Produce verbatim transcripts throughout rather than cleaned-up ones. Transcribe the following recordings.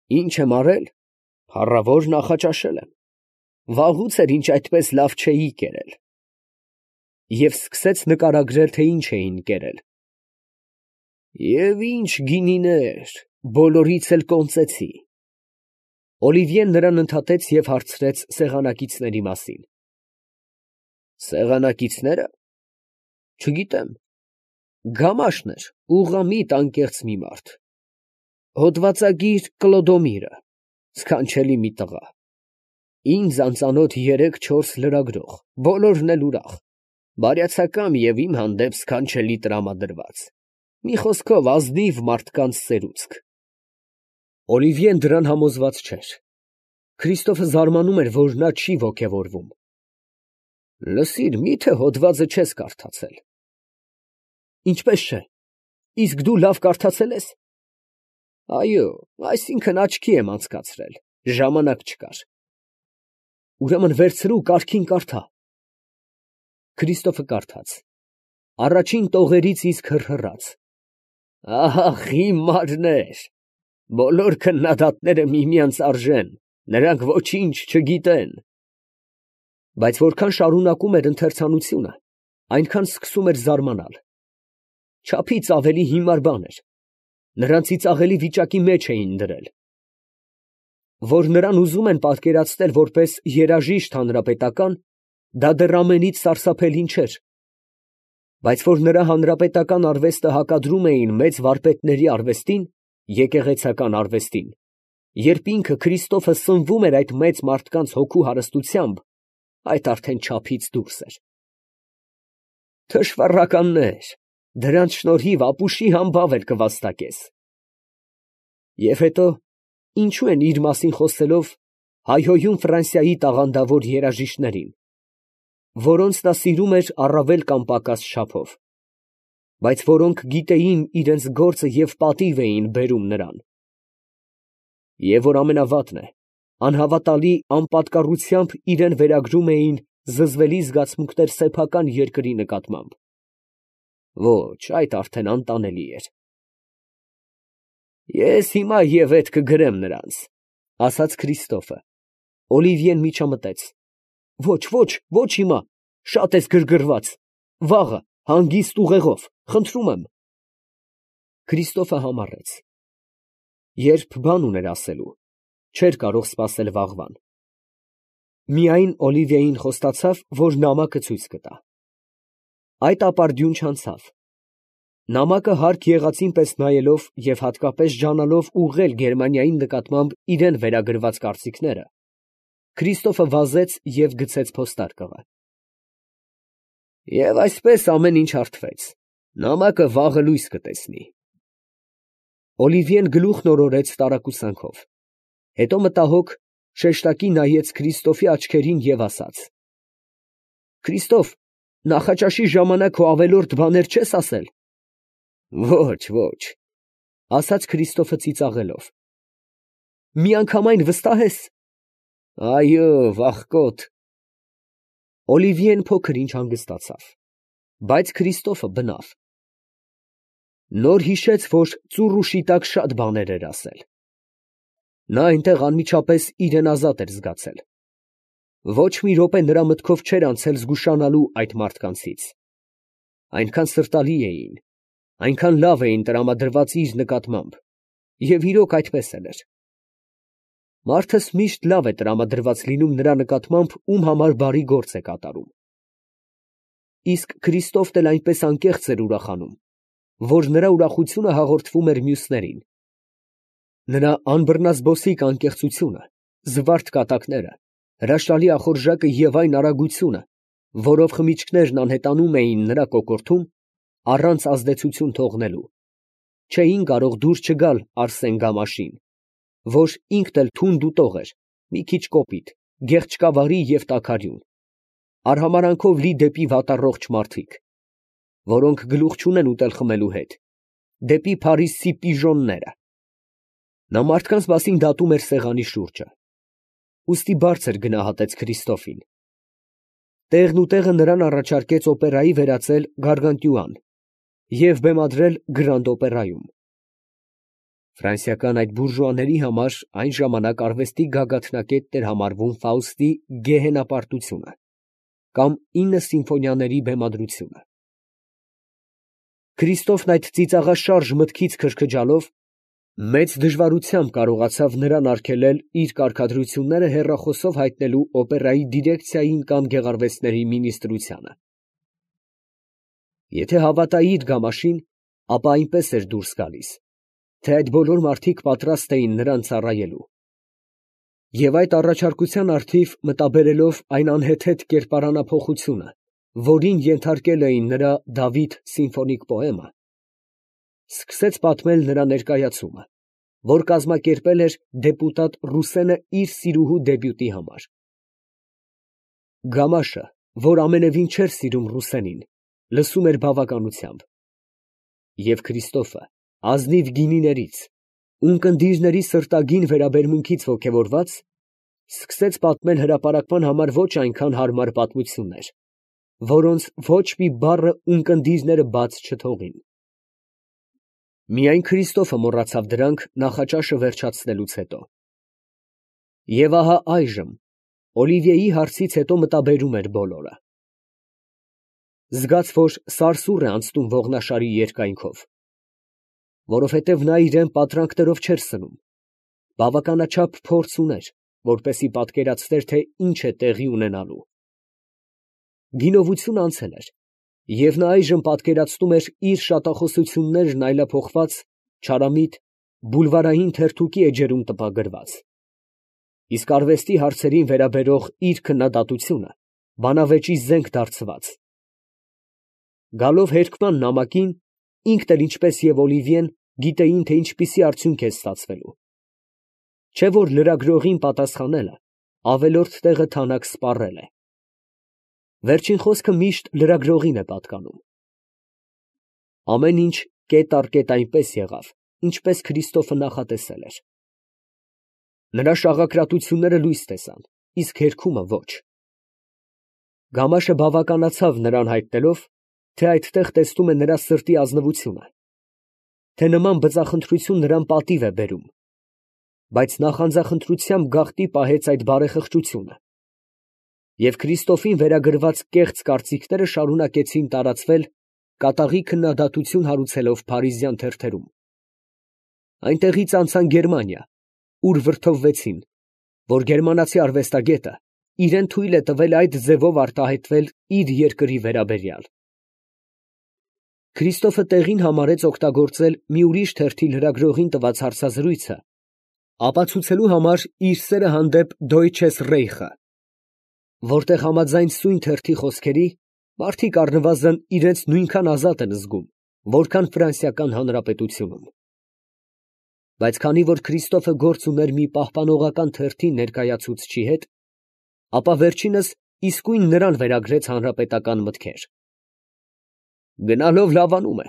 Ինչ եմ արել, փառավոր նախաճաշել եմ, վաղուց էր ինչ այդպես լավ չէի կերել։ Եվ սկսեց նկարագրել, թե ինչ էին կերել։ Եվ ինչ գինիներ, բոլորից էլ կոնծեցի։ Օլիվիեն նրան ընդհատեց և հարցրեց սեղանակիցների մասին։ Սեղանակիցնե՞րը։ Չգիտեմ, գամաշն էր, ուղղամիտ անկեղծ մի մարդ, հոդվածագիր Կլոդոմիրը, սքանչելի մի տղա, ինձ անծանոթ երեք֊չորս լրագրող, բոլորն էլ ուրախ, բարյացակամ և իմ հանդեպ սքանչելի տրամադրված, մի խոսքով ազնիվ մարդկանց սերուցք։ Օլիվիեն դրան համոզված չէր։ Քրիստոֆը զարմանում էր, որ նա չի ոգևորվում։ Լսիր, մի՞թե հոդվածը չես կարդացել։ Ինչպես չէ, իսկ դու լավ կարդացել ես։ Այո, այսինքն աչքի եմ անցկացրել, ժամանակ չկար։ Ուրեմն վերցրու կարգին կարդա։ Քրիստոֆը կարդաց, առաջին տողերից իսկ հռհռաց։ Ահ, հիմարներ, բոլոր քննադատները միմյանց արժեն, նրանք ոչինչ չգիտեն։ Բայց որքան շարունակում էր ընթերցանությունը, այնքան սկսում էր զարմանալ։ Չափից ավելի հիմար բան էր, նրան ծիծաղելի վիճակի մեջ էին դրել։ Որ նրան ուզում են պատկերացնել որպես երաժիշտ հանրապետական, դա դեռ ամենից սարսափելին չէր, բայց որ նրա հանրապետական արվեստը հակադրում էին մեծ վարպետների արվեստին, եկեղեցական արվեստին, երբ ինքը Քրիստոֆը սնվում էր այդ մեծ մարդկանց հոգու հարստությամբ, այդ արդեն չափից դուրս էր։ Թշվառականներ, դրանց շնորհիվ ապուշի համբավ էլ կվաստակես։ Եվ հետո, ինչու են իր մասին խոսելով հայհոյում Ֆրանսիայի տաղանդավոր երաժիշտներին, որոնց նա սիրում էր առավել կամ պակաս չափով, բայց որոնք գիտեին իրենց գործը և պատիվ էին բերում նրան։ Եվ որ ամենավատն է, անհավատալի անպատկառությամբ իրան վերագրում էին զզվելի զգացմունքներ սեփական երկրի նկատմամբ։ Ոչ, այդ արդեն անտանելի էր։ Ես հիմա և ետ կգրեմ նրանց, ասաց Քրիստոֆը։ Օլիվիեն միջամտեց. Ոչ, ոչ, ոչ հիմա, շատ ես գրգռված, վաղը, հանգիստ ուղեղով, խնդրում եմ։ Քրիստոֆը համառեց։ Երբ բան ուներ ասելու, չէր կարող սպասել վաղվան։ Միայն Օլիվիային խոստացավ, որ նամակը ցույց կտա։ Այդ ապարդյուն չանցավ։ Նամակը հարկ եղածին պես նայելով և հատկապես ջանալով ուղղել Գերմանիայի նկատմամբ իրան վերագրված կարծիքները, Քրիստոֆը վազեց և գցեց փոստարկղը։ Եվ այսպես ամեն ինչ հարթվեց, նամակը վաղը լույս կտեսնի։ Օլիվիեն գլուխն օրորեց տարակուսանքով, հետո մտահոգ շեշտակի նայեց Քրիստոֆի աչքերին և ասաց. Քրիստոֆ, նախաճաշի ժամանակ քո ավելորդ բաներ չես ասել։ Ոչ, ոչ, ասաց Քրիստոֆը ծիծաղելով։ Միանգամայն վստահ ես։ Այո, վախկոտ։ Օլիվիեն փոքր ինչ հանգստացավ, բայց Քրիստոֆը բնավ։ Նոր հիշեց, որ ծուռ ու շիտակ շատ բաներ էր ասել։ Նա այնտեղ անմիջապես իրան ազատ էր զգացել։ Ոչ մի րոպե նրա մտքով չէր անցել զգուշանալու այդ մարդկանցից։ Այնքան սրտալի էին, այնքան լավ էին տրամադրված իր նկատմամբ, և իրոք այդպես էլ էր։ Մարդս միշտ լավ է տրամադրված լինում նրա նկատմամբ, ում համար բարի գործ է կատարում։ Իսկ Քրիստոֆն էլ այնպես անկեղծ էր ուրախանում, որ նրա ուրախությունը հաղորդվում էր մյուսներին։ Նրա անբռնազբոսիկ անկեղծությունը, զվարթ կատակները, հրաշալի ախորժակը և այն արագությունը, որով խմիչքներն անհետանում էին նրա կոկորդում, առանց ազդեցություն թողնելու, չէին կարող դուր չգալ Արսեն Գամաշին, որ ինքն էլ թունդ ուտող էր, մի քիչ կոպիտ, գեղչկավարի և տաքարյուն, արհամարհանքով լի դեպի վատառողջ մարդիկ, որոնք գլուխ չունեն ուտել֊խմելու հետ, դեպի Փարիզցի պիժոնները։ Նա մարդկանց մասին դատում էր սեղանի շուրջը, ուստի բարձր գնահատեց Քրիստոֆին։ Տեղն ու տեղը նրան առաջարկեց օպերայի վերածել Գարգանտյուան և բեմադրել Գրանդ օպերայում։ Ֆրանսիական այդ բուրժուաների համար այն ժամանակ արվեստի գագաթնակետն էր համարվում Ֆաուստի գեհենապարտությունը կամ ինը սիմֆոնիաների բեմադրությունը։ Քրիստոֆն այդ ծիծաղաշարժ մտքից քրքջալով մեծ դժվարությամբ կարողացավ նրան արգելել իր կարգադրությունները հեռախոսով հայտնելու օպերայի դիրեկցիային կամ գեղարվեստների մինիստրությանը։ Եթե հավատայի իր գամաշին, ապա այնպես էր դուրս գալիս, թե այդ բոլոր մարդիկ պատրաստ էին նրան ծառայելու։ Եվ այդ առաջարկության առթիվ մտաբերելով այն անհեթեթ կերպարանափոխությունը, որին ենթարկել էին նրա Դավիթ սիմֆոնիկ պոեմը, սկսեց պատմել նրա ներկայացումը, որ կազմակերպել էր դեպուտատ Ռուսենը իր սիրուհու դեբյուտի համար։ Գամաշը, որ ամենևին չէր սիրում Ռուսենին, լսում էր բավականությամբ, և Քրիստոֆը ազնիվ գինիներից, ունկնդիրների սրտագին վերաբերմունքից ոգևորված, սկսեց պատմել հրապարակման համար ոչ այնքան հարմար պատմություններ, որոնց ոչ մի բառը ունկնդիրները բաց չթողին։ Միայն Քրիստոֆը մոռացավ դրանք նախաճաշը վերջացնելուց հետո։ Եվ ահա այժմ Օլիվիեի հարցից հետո մտաբերում էր բոլորը։ Զգաց, որ սարսուռ է անցնում ողնաշարի երկայնքով, որովհետև նա իրան պատրանքներով չէր սնում, բավականաչափ փորձ ուներ, որպեսզի պատկերացներ, թե ինչ է տեղի ունենալու։ Գինովությունը անցել էր, և նա այժմ պատկերացնում էր իր շատախոսություններն այլափոխված, չարամիտ, բուլվարային թերթուկի էջերում տպագրված, իսկ արվեստի հարցերին վերաբերող իր քննադատությունը բանավեճի զենք դարձված։ Գալով հերկման նամակին, ինքն էլ ինչպես և Օլիվիեն գիտեին, թե ինչպիսի արդյունք է ստացվելու, չէ՞ որ լրագրողին պատասխանելը ավելորդ տեղը թանաք սպառել է։ Վերջին խոսքը միշտ լրագրողին է պատկանում։ Ամեն ինչ կետ առ կետ այնպես եղավ, ինչպես Քրիստոֆը նախատեսել էր։ Նրա շաղակրատությունները լույս տեսան, իսկ հերքումը ոչ։ Գամաշը բավականացավ նրան հայտնելով, թե այդտեղ տեսնում է նրա սրտի ազնվությունը, թե նման բծախնդրություն նրան պատիվ է բերում, բայց նախանձախնդրությամբ գաղտնի պահեց այդ բարեխղճությունը, և Քրիստոֆին վերագրված կեղծ կարծիքները շարունակեցին տարածվել, կատաղի քննադատություն հարուցելով փարիզյան թերթերում։ Այնտեղից անցան Գերմանիա, ուր վրդովվեցին, որ գերմանացի արվեստագետը իրեն թույլ է տվել այդ ձևով արտահայտվել իր երկրի վերաբերյալ։ Քրիստոֆը տեղին համարեց օգտագործել մի ուրիշ թերթի լրագրողին տված հարցազրույցը, ապացուցելու համար իր սերը հանդեպ Դոյչես Ռեյխը, որտեղ համաձայն սույն թերթի խոսքերի, մարդիկ առնվազն իրենց նույնքան ազատ են զգում, որքան Ֆրանսիական Հանրապետությունում։ Բայց քանի որ Քրիստոֆը գործ ուներ մի պահպանողական թերթի ներկայացուցչի հետ, ապա վերջինս իսկույն նրան վերագրեց հանրապետական մտքեր։ Գնալով լավանում է,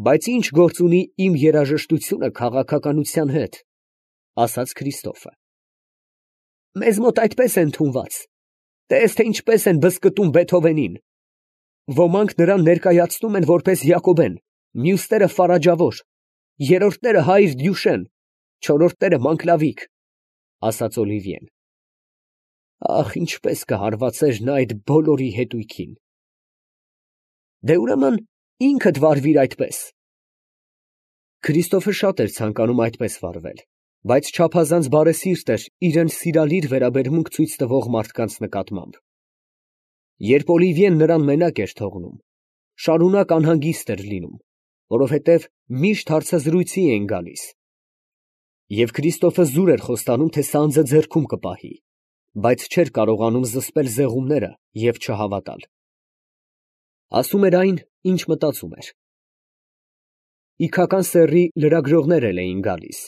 բայց ինչ գործ ունի իմ երաժշտությունը քաղաքականության հետ, ասաց Քրիստոֆը։ Մեզ մոտ այդպես է ընդունված, տես, թե ինչպես են բզկտում Բեթհովենին. ոմանք նրան ներկայացնում են որպես Յակոբեն, մյուսները Ֆարաջավոր, երրորդները Հայր Դյուշեն, չորրորդները Մանկլավիկ, ասաց Օլիվիեն։ Ախ, ինչպես կհարվածեր նա այդ բոլորի հետույքին։ Դե ուրեմն ինքդ վարվիր այդպես։ Քրիստոֆը շատ էր ցանկանում այդպես վարվել, բայց չափազանց բարեսիրտ էր իրան սիրալիր վերաբերմունք ցույց տվող մարդկանց նկատմամբ։ Երբ Օլիվիեն նրան մենակ էր թողնում, շարունակ անհանգիստ էր լինում, որովհետև միշտ հարցազրույցի էին գալիս։ Եվ Քրիստոֆը զուր էր խոստանում, թե սանձը ձեռքում կպահի, բայց չէր կարողանում զսպել զեղումները և չհավատալ։ Ասում էր այն, ինչ մտածում էր։ Իգական սեռի լրագրողներ էլ էին գալիս,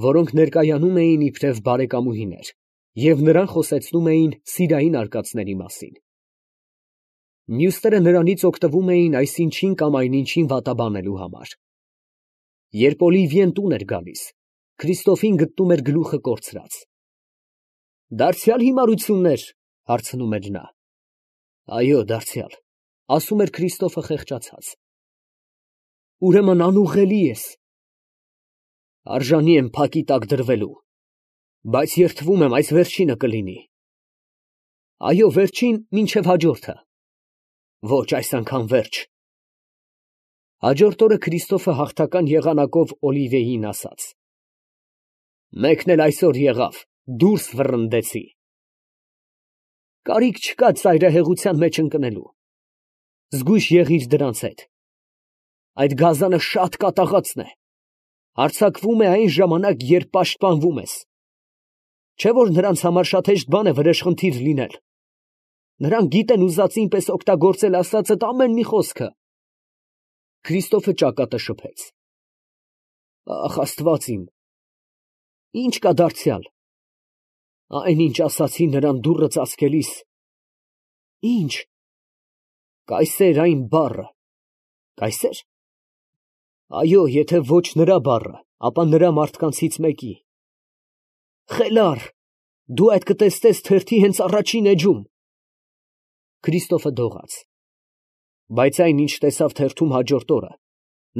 որոնք ներկայանում էին իբրև բարեկամուհիներ և նրան խոսեցնում էին սիրային արկածների մասին։ Մյուսները նրանից օգտվում էին այսինչին կամ այնինչին վատաբանելու համար։ Երբ Օլիվիեն տուն էր գալիս, Քրիստոֆին գտնում էր գլուխը կորցրած։ Դարձյալ հիմարություննե՞ր, հարցնում էր նա։ Այո, դարձյալ, ասում էր Քրիստոֆը խեղճացած։ Ուրեմն անուղղելի ես։ Արժանի եմ փակի տակ դրվելու, բայց երդվում եմ այս վերջինը կլինի։ Այո, վերջին մինչև հաջորդը։ Ոչ, այս անգամ վերջ։ Հաջորդ օրը Քրիստոֆը հաղթական եղանակով Օլիվիեին ասաց. «Մեկն էլ այսօր եղավ, դուրս վռնդեցի»։ Կարիք չկա ծայրահեղության մեջ ընկնելու։ Զգույշ եղիր դրանց հետ։ Այդ գազանը շատ կատաղածն է, հարձակվում է այն ժամանակ, երբ պաշտպանվում ես։ Չէ՞ որ նրանց համար շատ հեշտ բան է վրեժխնդիր լինել։ Նրանք գիտեն ուզածին պես օգտագործել ասածդ ամեն մի խոսքը։ Քրիստոֆը ճակատը շփեց։ Ախ, Աստված իմ, ի՞նչ կա դարձյալ։ Այն, ինչ ասացի նրան դուռը ծածկելիս։ Ի՞նչ։ Կայսեր այն բառը։ Կայսեր։ Այո, եթե ոչ նրա բառը, ապա նրա մարդկանցից մեկի։ Խելառ, դու այդ կտեսնես թերթի հենց առաջին էջում։ Քրիստոֆը դողաց։ Բայց այն, ինչ տեսավ թերթում հաջորդ օրը,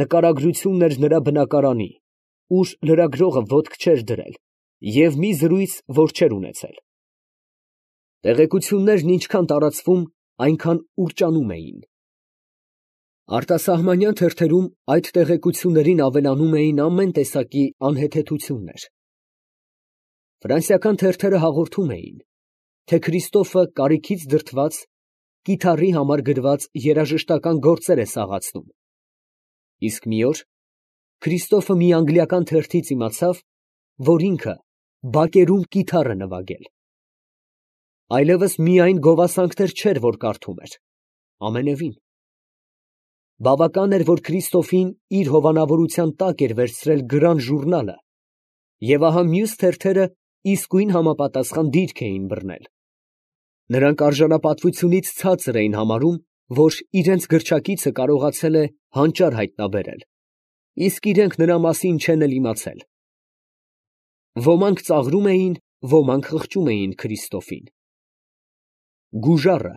նկարագրությունն էր նրա բնակարանի, ուր լրագրողը ոտք չէր դրել, և մի զրույց, որ չէր ունեցել։ Տեղեկություններն ինչքան տարածվում, այնքան ուռճանում էին։ Արտասահմանյան թերթերում այդ տեղեկություններին ավելանում էին ամեն տեսակի անհեթեթություններ։ Ֆրանսիական թերթերը հաղորդում էին, թե Քրիստոֆը կարիքից դրդված կիթառի համար գրված երաժշտական գործեր է սաղացնում։ Իսկ մի օր Քրիստոֆը մի անգլիական թերթից իմացավ, որ ինքը բակերում կիթառ է նվագել։ Այլևս միայն գովասանքներ չէր, որ կարդում էր, ամենևին։ Բավական էր, որ Քրիստոֆին իր հովանավորության տակ էր վերցրել Գրան ժուրնալը, և ահա մյուս թերթերը իսկույն համապատասխան դիրք էին բռնել։ Նրանք արժանապատվությունից ցածր էին համարում, որ իրենց գրչակիցը կարողացել է հանճար հայտնաբերել, իսկ իրենք նրա մասին չեն էլ իմացել։ Ոմանք ծաղրում էին, ոմանք խղճում էին Քրիստոֆին։ Գուժառը,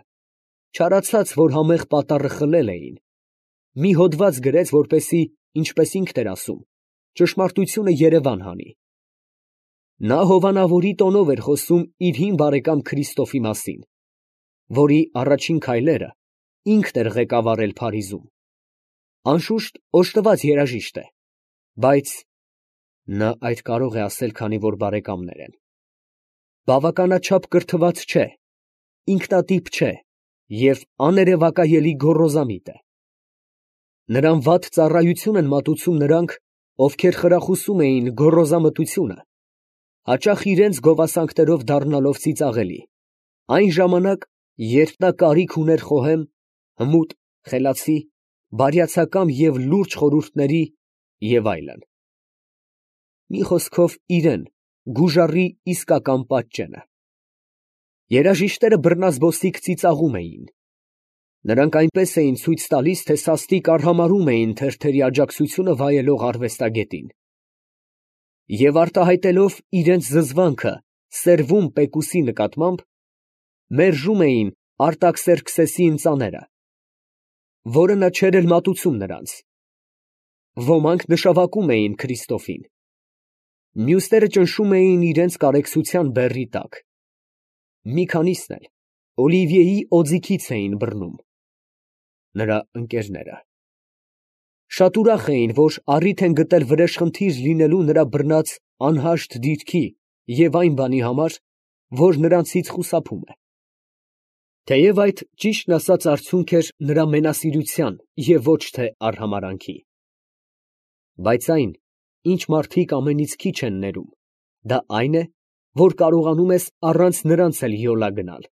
չարացած, որ համեղ պատառը խլել էին, մի հոդված գրեց, որպեսզի, ինչպես ինքն էր ասում, ճշմարտությունը երևան հանի։ Նա հովանավորի տոնով էր խոսում իր հին բարեկամ Քրիստոֆի մասին, որի առաջին քայլերը ինքն էր ղեկավարել Փարիզում։ Անշուշտ, օժտված երաժիշտ է, բայց նա այդ կարող է ասել, քանի որ բարեկամներ են։ Բավականաչափ կրթված չէ, ինքնատիպ չէ և աներևակայելի գոռոզամիտ է։ Նրան վատ ծառայություն են մատուցում նրանք, ովքեր խրախուսում էին գոռոզամտությունը, հաճախ իրենց գովասանքներով դառնալով ծիծաղելի, այն ժամանակ, երբ նա կարիք ուներ խոհեմ, հմուտ, խելացի, բարյացակամ և լուրջ խորհուրդների և այլն։ Մի խոսքով իրեն, գուժառի իսկական պատճենը։ Երաժիշտները բռնազբոսիկ ծիծաղում էին։ Նրանք այնպես էին ցույց տալիս, թե սաստիկ արհամարհում էին թերթերի աջակցությունը վայելող արվեստագետին։ Եվ արտահայտելով իրենց զզվանքը սերվում Պեկուսի նկատմամբ, մերժում էին Արտաքսերքսեսի ընծաները, որը նա չէր էլ մատուցում նրանց։ Ոմանք նշավակում էին Քրիստոֆին։ Մյուսները ճնշում էին իրենց կարեկցության բեռի տակ։ Մի քանիսն էլ Օլիվիեի օձիքից էին բռնում։ Նրա ընկերները շատ ուրախ էին, որ առիթ են գտել վրեժխնդիր լինելու նրա բռնած անհաշտ դիրքի և այն բանի համար, որ նրանցից խուսափում է։ Թեև այդ ճիշտն ասած արդյունք էր նրա մենասիրության և ոչ թե արհամարհանքի։ Բայց այն, ինչ մարդիկ ամենից քիչ են ներում, դա այն է, որ կարողանում ես առանց նրանց էլ յոլա գնալ։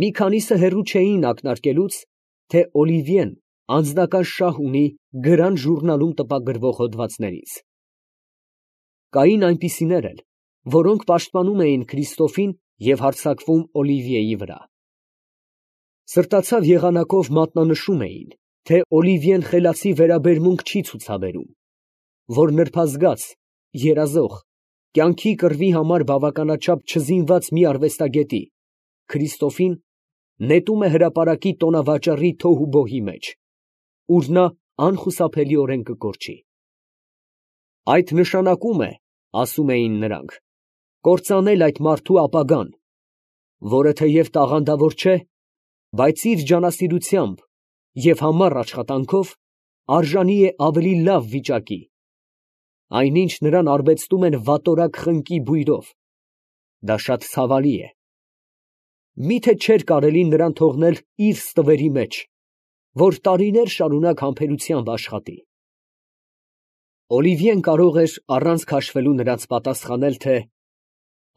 Մի քանիսը հեռու չէին ակնարկելուց, թե Օլիվիեն անձնական շահ ունի Գրան ժուրնալում տպագրվող հոդվածներից։ Կային այնպիսիներ էլ, որոնք պաշտպանում էին Քրիստոֆին և հարձակվում Օլիվիեի վրա։ Սրտացավ եղանակով մատնանշում էին, թե Օլիվիեն խելացի վերաբերմունք չի ցուցաբերում, որ նրբազգաց, երազող, կյանքի կռվի համար բավականաչափ չզինված մի արվեստագետի՝ Քրիստոֆին, նետում է հրապարակի տոնավաճառի թոհուբոհի մեջ, ուր նա անխուսափելիորեն կկորչի։ Այդ նշանակում է, ասում էին նրանք, կործանել այդ մարդու ապագան, որը թեև տաղանդավոր չէ, բայց իր ջանասիրությամբ և համառ աշխատանքով արժանի է ավելի լավ վիճակի, այնինչ նրան արբեցնում են վատորակ խնկի բույրով. դա շատ ցավալի է։ Մի՞թե չէր կարելի նրան թողնել իր ստվերի մեջ, որ տարիներ շարունակ համբերությամբ աշխատի։ Օլիվիեն կարող էր առանց քաշվելու նրանց պատասխանել, թե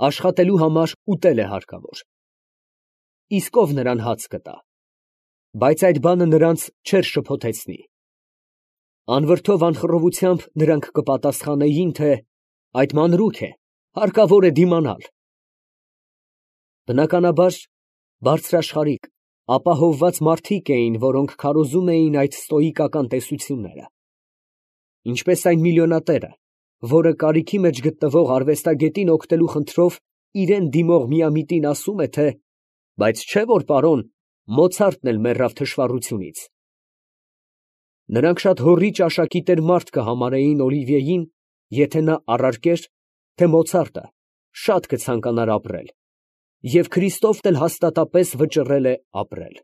աշխատելու համար ուտել է հարկավոր, իսկ ով նրան հաց կտա, բայց այդ բանը նրանց չէր շփոթեցնի։ Անվրդով անխռովությամբ նրանք կպատասխանեին, թե այդ մանրուք է, հարկավոր է դիմանալ։ Բնականաբար, բարձրաշխարհիկ, ապահովված մարդիկ էին, որոնք քարոզում էին այդ ստոիկական տեսությունները, ինչպես այն միլիոնատերը, որը կարիքի մեջ գտնվող արվեստագետին օգնելու խնդրով իրան դիմող միամիտին ասում է, թե բայց չէ՞ որ պարոն, Մոցարտն էլ մեռավ թշվառությունից։ Նրանք շատ հոռի ճաշակի տեր մարդ կհամարեին Օլիվիեին, եթե նա առարկեր, թե Մոցարտը շատ կցանկանար ապրել, և Քրիստոֆն էլ հաստատապես վճռել է ապրել։